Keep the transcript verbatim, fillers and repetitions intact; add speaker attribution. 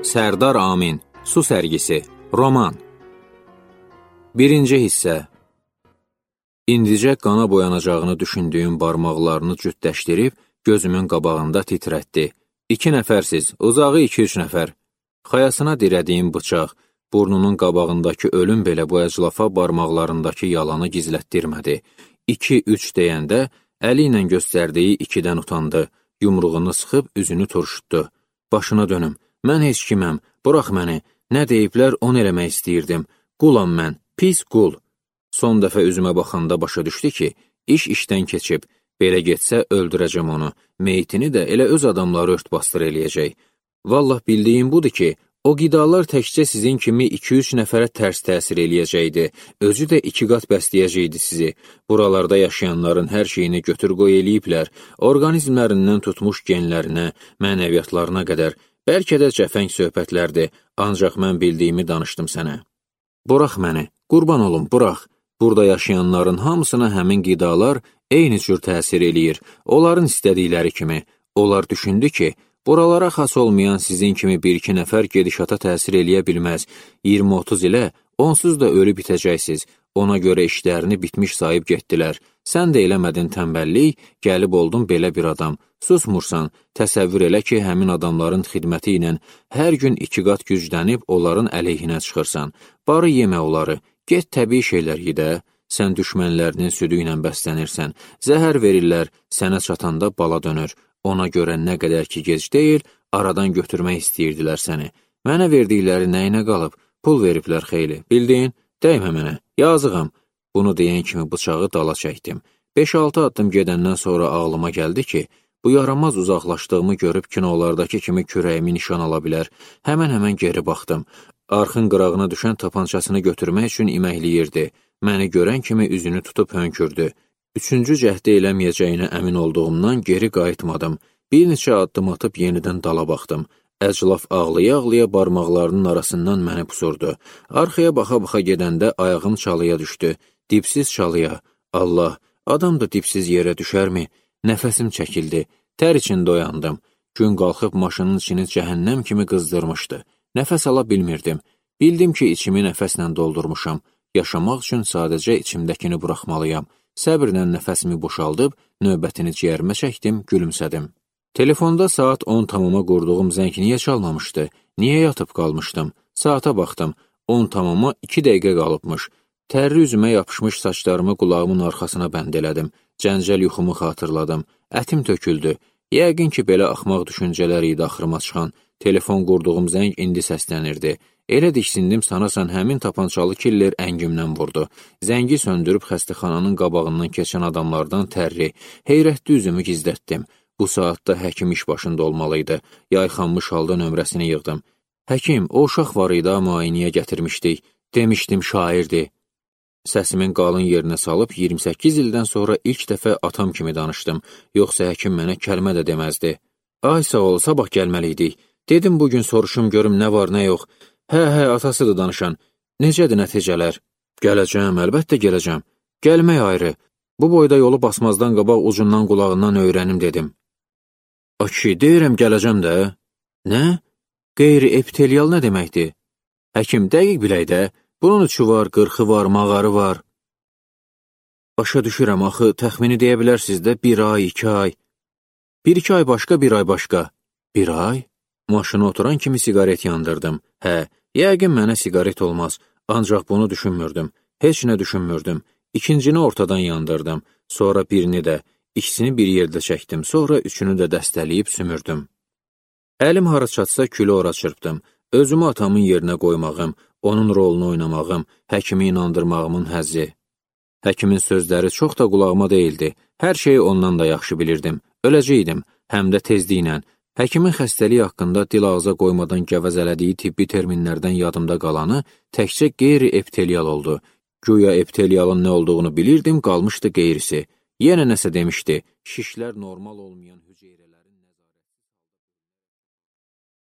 Speaker 1: Sərdar Amin, Su sərgisi, roman. Birinci hissə. İndicə qana boyanacağını düşündüyüm barmaqlarını cütləşdirib, gözümün qabağında titrətdi. İki nəfərsiz, uzağı iki-üç nəfər. Xayasına dirədiyim bıçaq, burnunun qabağındakı ölüm belə bu əclafa barmaqlarındakı yalanı gizlətdirmədi. İki-üç deyəndə, əli ilə göstərdiyi ikidən utandı, yumruğunu sıxıb üzünü turşutdu. Başına dönüm, mən heç kiməm, burax məni, nə deyiblər onu eləmək istəyirdim, qulam mən, pis qul. Son dəfə üzümə baxanda başa düşdü ki, iş işdən keçib, belə getsə öldürəcəm onu, meyitini də elə öz adamları ört-bastır eləyəcək. Vallah bildiyim budur ki, o qidalar təkcə sizin kimi iki-üç nəfərə tərs təsir eləyəcəkdi, özü də iki qat bəsləyəcəkdi sizi. Buralarda yaşayanların hər şeyini götür-qoy eləyiblər, orqanizmlərindən tutmuş genlərinə, mənəviyyatlarına qədər, bəlkə də cəfəng söhbətlərdir, ancaq mən bildiyimi danışdım sənə. Burax məni, qurban olum, burax. Burada yaşayanların hamısına həmin qidalar eyni cür təsir eləyir, onların istədikləri kimi. Onlar düşündü ki, buralara xas olmayan sizin kimi bir-iki nəfər gedişata təsir eləyə bilməz. iyirmi-otuz ilə onsuz da ölü bitəcəksiniz. Ona görə işlərini bitmiş sayıb getdilər. Sən də eləmədin tənbəllik, gəlib oldun belə bir adam. Susmursan, təsəvvür elə ki, həmin adamların xidməti ilə hər gün iki qat güclənib onların əleyhinə çıxırsan. Barı yemə onları, get təbii şeylər yedə. Sən düşmənlərinin südü ilə bəslənirsən. Zəhər verirlər, sənə çatanda bala dönür. Ona görə nə qədər ki gec deyil, aradan götürmək istəyirdilər səni. Mənə verdikləri nəyinə qalıb, pul veriblər xeyli. Bildin, dəymə mənə, yazığam. Bunu deyən kimi bıçağı dala çəkdim. beş-altı addım gedəndən sonra ağlıma gəldi ki, bu yaramaz uzaqlaşdığımı görüb kinolardakı kimi kürəyimi nişan ala bilər. Həmən-həmən geri baxdım. Arxın qırağına düşən tapançasını götürmək üçün iməkləyirdi. Məni görən kimi üzünü tutub hönkürdü. Üçüncü cəhdi eləməyəcəyinə əmin olduğumdan geri qayıtmadım. Bir neçə addım atıb yenidən dala baxdım. Əclaf ağlaya-ağlaya barmaqlarının arasından məni pusurdu. Arxaya baxa-baxa gedəndə ayağım çalıya düşdü. Dipsiz çalıya. Allah, adam da dipsiz yerə düşərmi? Nəfəsim çəkildi. Tər içində oyandım. Gün qalxıb maşının içini cəhənnəm kimi qızdırmışdı. Nəfəs ala bilmirdim. Bildim ki, içimi nəfəslə doldurmuşam. Yaşamaq üçün sadəcə içimdəkini buraxmalıyam. Səbirlə nəfəsimi boşaldıb, növbətini ciyərimə çəkdim, gülümsədim. Telefonda saat on tamama qurduğum zəng niyə çalmamışdı? Niyə yatıb qalmışdım? Saata baxdım. on tamama iki dəqiqə qalıbmış. Tərri üzümə yapışmış saçlarımı qulağımın arxasına bənd elədim. Cəncəl yuxumu xatırladım. Ətim töküldü. Yəqin ki, belə axmaq düşüncələr idi axırıma çıxan. Telefon qurduğum zəng indi səslənirdi. Elə diksindim sanasan həmin tapançalı killer əngimdən vurdu. Zəngi söndürüb xəstəxananın qabağından keçən adamlardan tərri. Heyrətli üzümü gizlətdim. Bu saatda həkim iş başında olmalıydı. Yayxanmış halda nömrəsini yığdım. Həkim, o uşaq var idi, müayinəyə gətirmişdik. Demişdim, şairdi. Səsimin qalın yerinə salıb iyirmi səkkiz ildən sonra ilk dəfə atam kimi danışdım. Yoxsa həkim mənə kəlmə də deməzdi. Ay sağ ol, sabah gəlməliydik. Dedim bugün soruşum görüm nə var, nə yox. Hə, hə, atasıdır danışan. Necədir nəticələr? Gələcəm, əlbəttə gələcəm. Gəlmək ayrı. Bu boyda yolu basmazdan qabaq ucundan qulağından öyrənim dedim. Aki, deyirəm gələcəm də. Nə? Qeyri-epitelial nə deməkdir? Həkim, dəqiq bilək də. Bunun üçü var, qırxı var, mağarı var. Başa düşürəm, axı, təxmini deyə bilərsiniz də bir ay, iki ay. Bir-iki ay başqa, bir ay başqa. Bir ay? Maşına oturan kimi sigaret yandırdım. Hə, yəqin mənə sigaret olmaz, ancaq bunu düşünmürdüm. Heç nə düşünmürdüm. İkincini ortadan yandırdım, sonra birini də, ikisini bir yerdə çəkdim, sonra üçünü də dəstələyib sümürdüm. Əlim hara çatsa külü ora çırpdım. Özümü atamın yerinə qoymağım, onun rolunu oynamağım, həkimi inandırmağımın həzzi. Həkimin sözləri çox da qulağıma deyildi. Hər şeyi ondan da yaxşı bilirdim. Öləcəkdim, həm də tezliklə. Həkimin xəstəliyi haqqında dil ağza qoymadan gəvəzələdiyi tibbi terminlərdən yadımda qalanı təkcə qeyri-epitelial oldu. Güya epitelialın nə olduğunu bilirdim, qalmışdı qeyrisi. Yenə nəsə demişdi, şişlər normal olmayan hüceyrə.